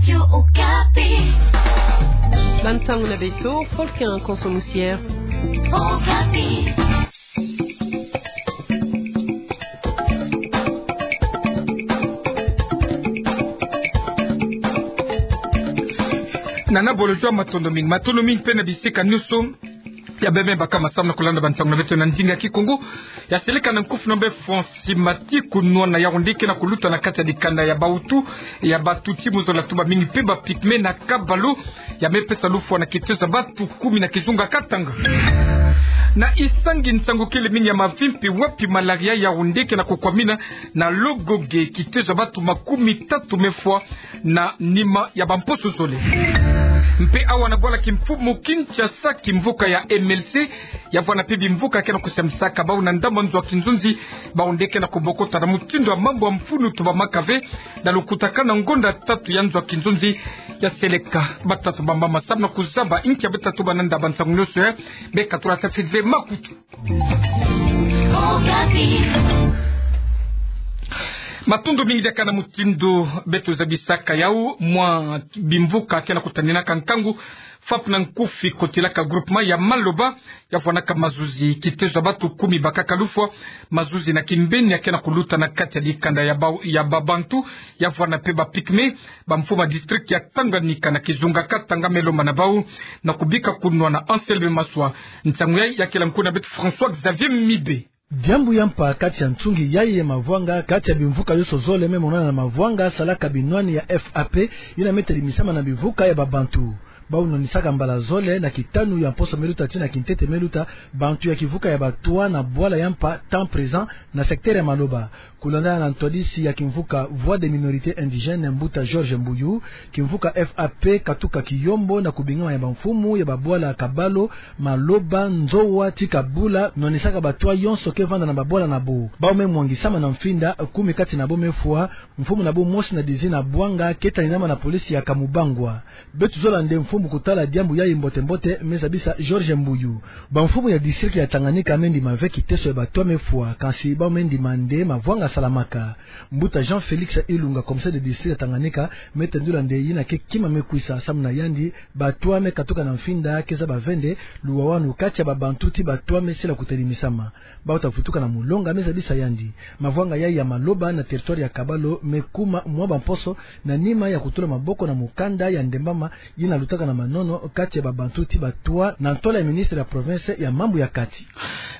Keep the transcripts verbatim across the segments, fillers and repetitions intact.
Radio Okapi. Bansango na beto, Faustin Konso Musier. Okapi. Nana Bolojwa, matondo mingi, matondo mingi mpe na bisika nyonso ya bembe bakama samu na kulanda bansango na beto na ndinga Kikongo. Ya seleka na nkufi na mbe Francis Mati, kunwana Yaoundé, ke na kuluta na kati ya dikanda ya bautu, ya batuti mu zola tuba mingi mpe ba pygmées na Kabalo, ya me pesa lufwa na kitezo ya batu kumi na kizunga Katanga. Na Isangi, nsangu kele mingi ya mavimpi wapi malaria ya Yaoundé ke na kukwamina na Logogué, kitezo ya batu makumi tatu me fwa na nima ya bamposo zole. Mpe awa na bwala kimfumu Kinshasa, kimvuka ya M L C ya vwanda mpe bimvuka ke na kusambisaka bau na ndambu ya nzo ya kinzonzi, bau nde ke na kubokota na mutindu ya mambu ya mfunu tuba makave na lukutakanu na ngonda tatu ya nzo ya kinzonzi. Ya seleka batata bamama samu na kuzaba inki ya beta tuba na nda bansango nyonso ya, beka tula tafiti ve makutu. Matondo mingi. Diaka na mutindu beto zabisaka yau, mwa bimvuka ke na kutaninaka nkangu, fapu na nkufi kotilaka groupement ya Maloba, ya vwanaka mazuzi, kitezo ya batu kumi bakaka lufwa. Mazuzi na kimbeni ya ke na kuluta na kati ya dikanda ya ba, ya babantu, ya vwanda mpe ba pygmées, bamfumu ya district ya Tanganyika na kizunga Katanga, me lomba na bau na kubika kunwana Anselme Maswa. Nsangu yai ya kele nkuna beto François Xavier Mibe. Diambu ya mpa kati ya nsungi yai ya mavwanga kati ya bimvuka yoso zole me monana na mavwanga salaka binwani ya F A P, yina me telimisama na bimvuka ya babantu. Bau nwanisaka mbala zole na kitanu ya mposo me luta tii na kintete me luta, bantu ya kimvuka ya Batwa na bwala ya mpa Temps Présent na secteur ya Maloba. Kulandana na ntwadisi ya kimvuka Voix des Minorités Indigènes, mbuta Georges Mbuyu, kimvuka F A P katuka kiyombo na kubingama ya bamfumu ya babwala Kabalo, Maloba, Nzowa tii Kabula, nwanisaka Batwa yonso ke vanda na babwala na bo. Bau me mwangisama na mfinda, kumi kati na bo me fwa, mfumu na bo mosi na dizina Bwanga ke taninama na polisi ya Kamubangwa. Beto zola nde mfumu kutala diambu yai mbote-mbote, me zabisa Georges Mbuyu. Bamfumu ya district ya Tanganyika me ndima ve kiteso ya Batwa me fwa, kansi bau me ndima nde mavwanga salamaka. Mbuta Jean Félix Ilunga, commissaire de district ya Tanganyika, me tendula nde yina ke kima me kwisa, samu na yandi, Batwa me katuka na mfinda ke zaba ve nde luwawanu kati ya babantu tii Batwa me sila kutelimisama. Bau ta vutuka na mulonga, me zabisa yandi. Mavwanga yai ya Maloba na territoire ya Kabalo me kuma mwa bamposo na nima ya kutula maboko na mukanda ya ndembama yina lutaka na manono kati ya babantu tii Batwa, na ntola ya ministre ya province ya mambu ya kati.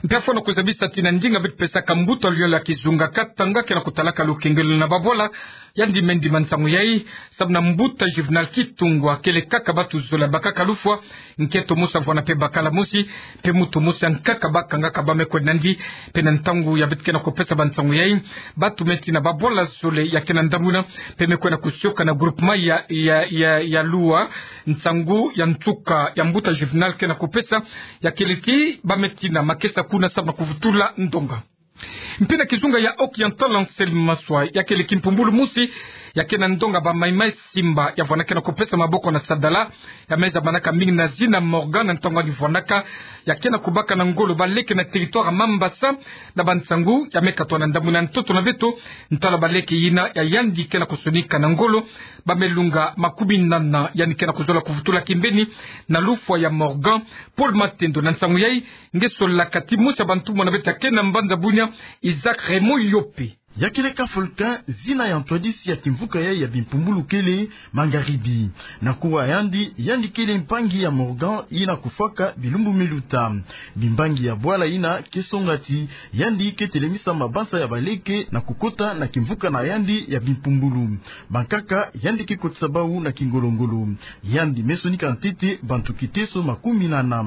Mpe fwana kuzabisa tii na ndinga beto pesaka mbuta luyolo ya kizunga Katanga ke na kutalaka lukengelo na babwala, yandi me ndima nsangu yai, samu na mbuta Juvenal Kitungwa kele kaka batu zole bakaka lufwa, nkento mosi avwanda mpe bakala mosi, mpe muntu mosi ya nkaka bakangaka bau me kwenda na yandi. Mpe na ntangu ya beto ke na kupesa bansangu yai, batu me tii na babwala zole ya ke na ndamuna, mpe me kwenda kusioka na groupement ya, ya, ya, ya Lua, nsangu ya nsuka ya mbuta Juvenal ke na kupesa, ya kele tii bau me tii na makesa kuna samu na kuvutula ndonga. Mpe na kizunga ya Occidental, Anselme Maswa, ya kele kimpumbulu mosi ya ke na ndonga ba Maï-Maï Simba, ya vwanda ke na kupesa maboko na sadala, ya me zabanaka mingi na zina Morgan, na ntangu yandi vwandaka, ya ke na kubaka na ngolo baleke na territoire Mambasa, na bansangu ya me katwa na ndambu na ntoto na beto, ntwala baleke yina ya yandi ke na kusonika na ngolo, bau me lunga makumi nana, yandi ke na kuzola kuvutula kimbeni na lufwa ya Morgan. Paul Matendo, na nsangu yai, nge solaka tii mosi ya bantumwa na beto ya ke na mbanza Bunia, Isaac Raymond Yope. Ya kele ka Faustin, zina ya ntwadisi ya kimvuka yai ya bimpumbulu kele Mangaribi. Na kuwa yandi, yandi kele mpangi ya Morgan yina kufwaka bilumbu me luta. Bimbangi ya bwala yina ke songa tii yandi ke telemisa mabanza ya baleke na kukota na kimvuka na yandi ya bimpumbulu. Bankaka yandi ke kotisa bau na kingolo-ngolo. Yandi me sonika ntete bantu kiteso makumi nana.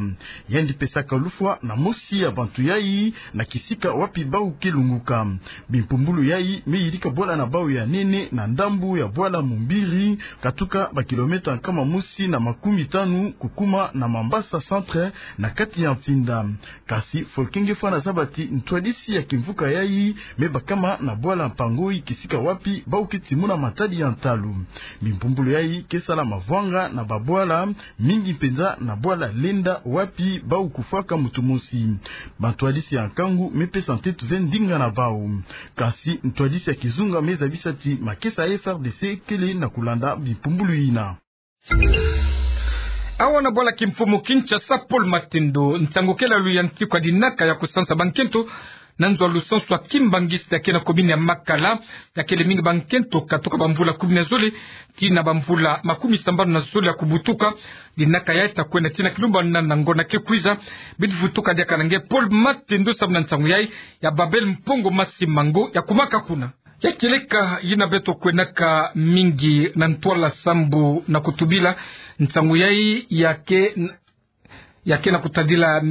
Yandi pesaka lufwa na mosi ya bantu yai na kisika wapi bau ke lunguka. Bimpumbulu yai me yidika bwala na bau ya nene na ndambu ya bwala Mumbiri, katuka ba kilomètre nkama mosi na makumi tanu kukuma na Mambasa centre, na kati ya mfinda. Kansi Faustin, nge fwana zaba tii ntwadisi ya kimvuka yai me bakama na bwala Mpangoi, kisika wapi bau ke timuna matadi ya ntalu. Bimpumbulu yai ke sala mavwanga na babwala, mingi mpenza na bwala Lenda wapi bau kufwaka muntu mosi. Bantwadisi ya nkangu me pesa ntete ve ndinga na bau. Kansi Kansi ntwadisi ya kizunga me zabisa ti makesa ya F R D C kele na kulanda bimpumbulu yina. Awa na bwala kimfumu Kinshasa, Paul Matendo, nsangu kele ya luyantiku ya dinaka ya kusansa bankento na nzo ya lusansu ya kimbangi ya ke na commune ya Makala, ya kele mingi bankento katuka bamvula kumi na zole tii na bamvula makumi sambanu na zole ya kubutuka. Dinaka yayi ta kwenda tii na kilumbana na ngonda ke kwiza. Bidi vutuka diaka na nge Paul Matendo samu na nsangu yayi ya Babel Mpongo Masimango ya kumaka kuna. Ya kieleka yina beto kwenaka mingi na ntwala sambu na kutubila nsangu yayi ya ke, ya ke na kutadila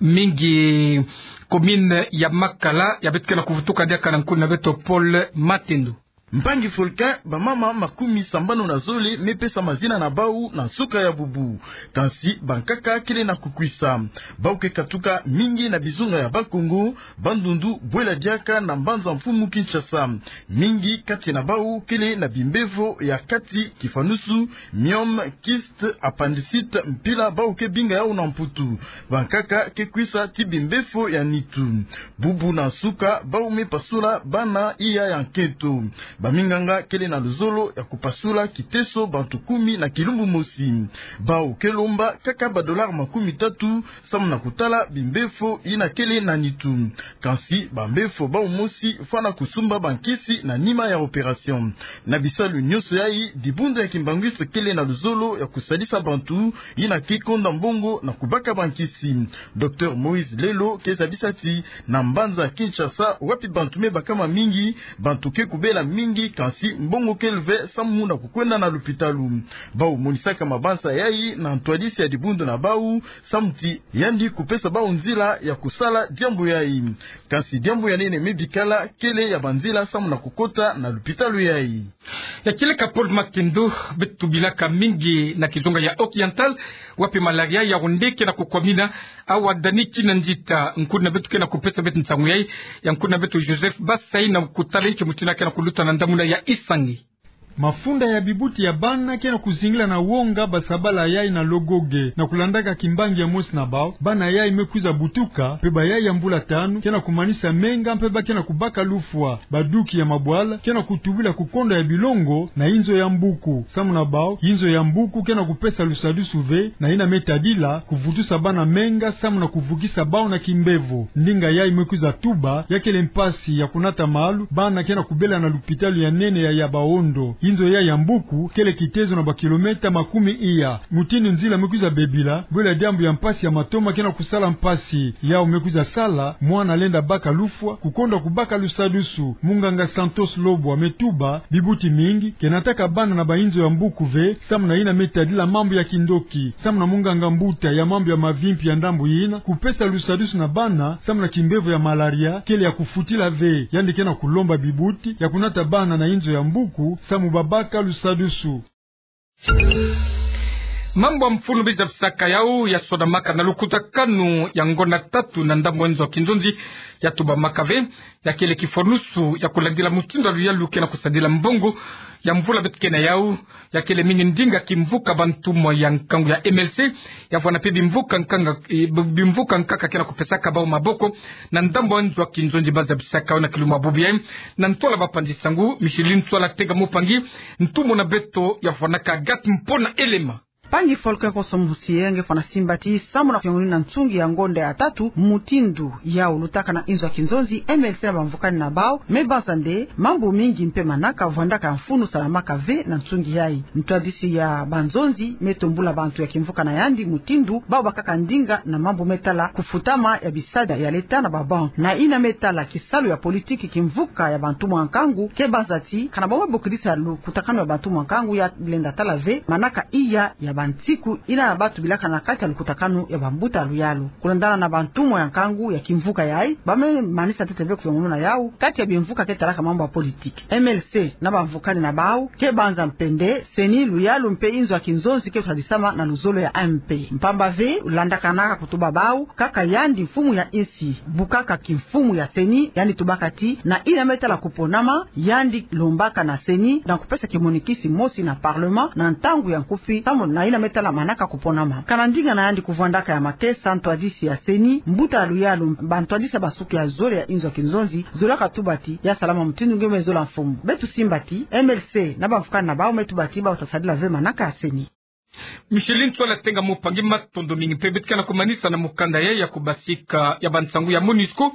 mingi commune ya Makala, ya beto ke na kuvutuka diaka na nkuna beto Paul Matendo. Mpangi Volcan, bamama makumi sambanu na zole me pesa mazina na bau na nsuka ya bubu. Kansi bankaka kele na kukwisa. Bau ke katuka mingi na bizunga ya Bas-Congo, Bandundu, bwela diaka na mbanza mfumu Kinshasa. Mingi kati na bau kele na bimbevo ya kati, kifanusu, myome, kyste, appendicite, mpila bau ke binga yau na Mputu. Bankaka ke kwisa tii bimbevo ya nitu. Bubu na nsuka, bau me pasula bana iya ya nkento. Baminganga kele na luzolo ya kupasula kiteso bantu kumi na kilumbu mosi. Bau ke lomba kaka ba dollars makumi tatu samu na kutala bimbevo yina kele na nitu. Kansi bambevo bau mosi fwana kusumba bankisi na nima ya opération. Na bisalu nyonso yayi, dibundu ya kimbanguiste kele na luzolo ya kusalisa bantu yina ke konda mbongo na kubaka bankisi. Docteur Moïse Lelo ke zabisa ti na mbanza Kinshasa, wapi bantu me bakama mingi, bantu ke kubela mingi, kansi mbongo kele ve samu na kukwenda na lupitalu. Bau monisaka mabanza yayi na ntwadisi ya dibundu na bau, samu ti yandi kupesa bau nzila ya kusala diambu yayi. Kansi diambu ya nene me bikala kele ya banzila samu na kukota na lupitalu yayi. Ya kieleka Paul Matendo, beto tubilaka mingi na kizunga ya Oriental, wapi malaria ya onde ke na kukwamina. Awa Dani Kinanzita, nkuna beto ke na kupesa beto nsangu yayi, ya nkuna beto Joseph Basai na kutala inki mutindu ke na kuluta na ndamuna ya Isangi. Mafunda ya bibuti ya bana ke na kuzingila na wonga basabala yayi na Logoge, na kulandaka kimbangi ya mosi na bau, bana yayi me kwiza butuka, mpe bayayi ya mvula tanu, ke na kumanisa menga, mpe ba ke na kubaka lufwa. Baduki ya mabwala ke na kutubila kukonda ya bilongo na inzo ya mbuku. Samu na bau, inzo ya mbuku ke na kupesa lusadusu ve na yina me tadila kuvutusa bana menga samu na kuvukisa bau na kimbevo. Ndinga yayi me kwiza tuba, ya kele mpasi ya kunata malu, bana ke na kubela na lupitalu ya nene ya Yabaondo. Inzo yayi ya mbuku kele kitezo na bakilometa makumi iya. Mutindu nzila me kwiza bebila, bwela diambu ya mpasi ya matoma ke na kusala mpasi. Yau me kwiza sala mwana lenda baka lufwa, kukonda kubaka lusadusu. Munganga Santos Lobwa me tuba, bibuti mingi ke nataka bana na bainzo ya mbuku ve, samu na yina me tadila mambu ya kindoki. Samu na munganga mbuta ya mambu ya mavimpi ya ndambu yina, kupesa lusadusu na bana samu na kimbevo ya malaria kele ya kufutila ve. Yandi ke na kulomba bibuti ya kunata bana na inzo ya mbuku samu babaka lusadusu. Mambu ya mfunu biza bisaka yau ya sonamaka na lukutakanu ya ngonda tatu na ndambu ya nzo ya kinzonzi ya tubamaka ve, ya kele kifonusu ya kulandila mutindu ya luyalu ke na kusadila mbongo ya mvula beto ke na yau. Ya kele mingi ndinga kimvuka bantumwa ya nkangu ya M L C, ya vwanda mpe bimvuka nkanga, eh, bimvuka nkaka ke na kupesaka bau maboko na ndambu ya nzo ya kinzonzi. Baza bisaka yau na kilumbu ya bubu yayi, na ntwala bapanzi nsangu, Micheline Ntwala Tenga Mupangi, ntumwa na beto ya vwandaka Agathe Mpona Elema. Mpangi Volcan Kosomusi yenge fwana simba ti samu na kuyongoni na nsungi ya ngonda ya tatu, mutindu yau lutaka na inzo ya kinzonzi, M L C na bamvukani na bau, me baza nde mambu mingi mpe manaka vwandaka ya mfunu salamaka ve na nsungi yayi. Ntwadisi ya banzonzi me tombula bantu ya kimvuka na yandi mutindu bau bakaka ndinga na mambu me tala kufutama ya bisadi ya leta na babanque. Na yina me tala kisalu ya politiki, kimvuka ya bantumwa ya nkangu ke baza ti kana bau me bokidisa lukutakanu ya bantumwa ya nkangu, ya lenda tala ve manaka iya ya bansiku yina ba tubilaka na kati ya lukutakanu ya bambuta ya luyalu. Kulandana na bantumwa ya nkangu ya kimvuka yayi, ba me manisa ntete ve kuyongonu na yau, kati ya bimvuka ke talaka mambu ya politiki, M L C na bamvukani na bau ke banza mpe nde CENI, luyalu mpe inzo ya kinzonzi ke kusadisama na luzolo ya M P. Mpamba ve, landakanaka kutuba bau, kaka yandi mfumu ya insi bukaka kimfumu ya CENI, yandi tubaka ti na yina me tala kuponama, yandi lombaka na CENI na kupesa kimonikisi mosi na parlement na ntangu ya nkufi, samu na yina me tala manaka kuponama. Kana ndinga na yandi kuvwandaka ya makesa ntwadisi ya CENI, mbuta ya luyalu bantwadisi ya basuku ya zole ya inzo ya kinzonzi zolaka tuba ti ya salama mutindu nge me zola mfumu. Beto simba ti MLC na bamfukani na bawu me tuba ti bawu ta sadila ve manaka ya CENI. Micheline Ntsoila Tenga Mupangi, matondo mingi. Mpe beto ke na kumanisa na mukanda ya, ya kubasika ya bansangu ya MONUSCO,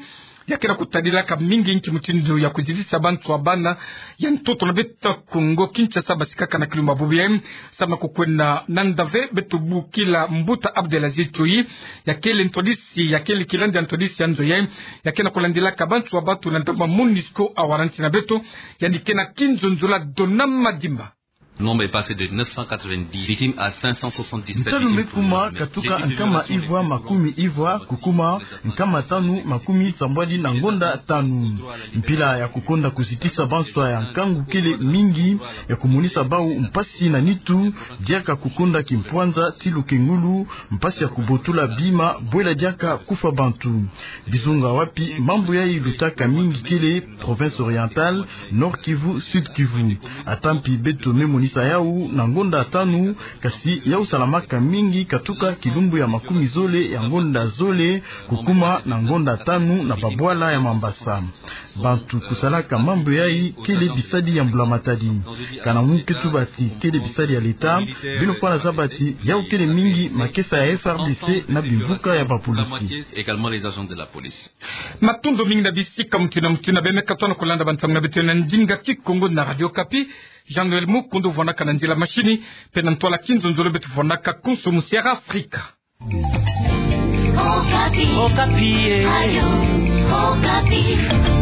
ya ke na kutadilaka mingi nki mutindu ya kuzitisa bantu ya bana ya ntoto na beto Kongo Kinshasa basikaka na kilumbu bubu yayi, samu na kukwenda nanda ve. Beto bukila mbuta Abdelaziz Tchoyi, ya kele ntwadisi, ya kele kilandi ya ntwadisi ya nzo yayi, ya ke na kulandilaka bantu ya bato na ndambu ya MONUSCO awara nsi na beto. Yandi ke na kinzonzolo Donama Madimba. Nombre est passé de neuf cent quatre-vingt-dix victimes à cinq cent soixante-dix-sept victimes. Ntalu me kuma katuka nkama ivwa makumi ivwa kukuma nkama tanu makumi sambwadi na ngonda tanu. Mpila ya kukonda kuzitisa banswa ya nkangu kele mingi, ya kumonisa bawu mpasi na nitu, diaka kukonda kimpwanza ti lukengulu, mpasi ya kubotula bima, bwela diaka kufwa bantu. Bizunga wapi mambu yayi lutaka mingi kele province orientale, Nord-Kivu, Sud-Kivu. Ata mpi beto me monisa yawu na ngonda tanu, kasi yawu salamaka mingi katuka kilumbu ya makumi zole ya ngonda zole kukuma na ngonda tanu na babwala ya Mambasa. Bantu kusalaka mambu yayi kele bisadi ya mbula matadi. Kana mu ke tuba ti kele bisadi ya leta, beno fwana zaba ti yawu kele mingi makesa ya FARDC na bimvuka ya bapolisi. Également les agents de la police. Matondo mingi na bisika mutu na mutu yina beno me katuka na kulanda bansangu na beto na ndinga Kikongo na Radio Okapi. Jean-Noël Mukundu vwanaka na nzila mashini, mpe na ntwala kinzonzolo beto vwanaka konso mu Sierra Africa. Okapi. Okapi, eh. Radio Okapi.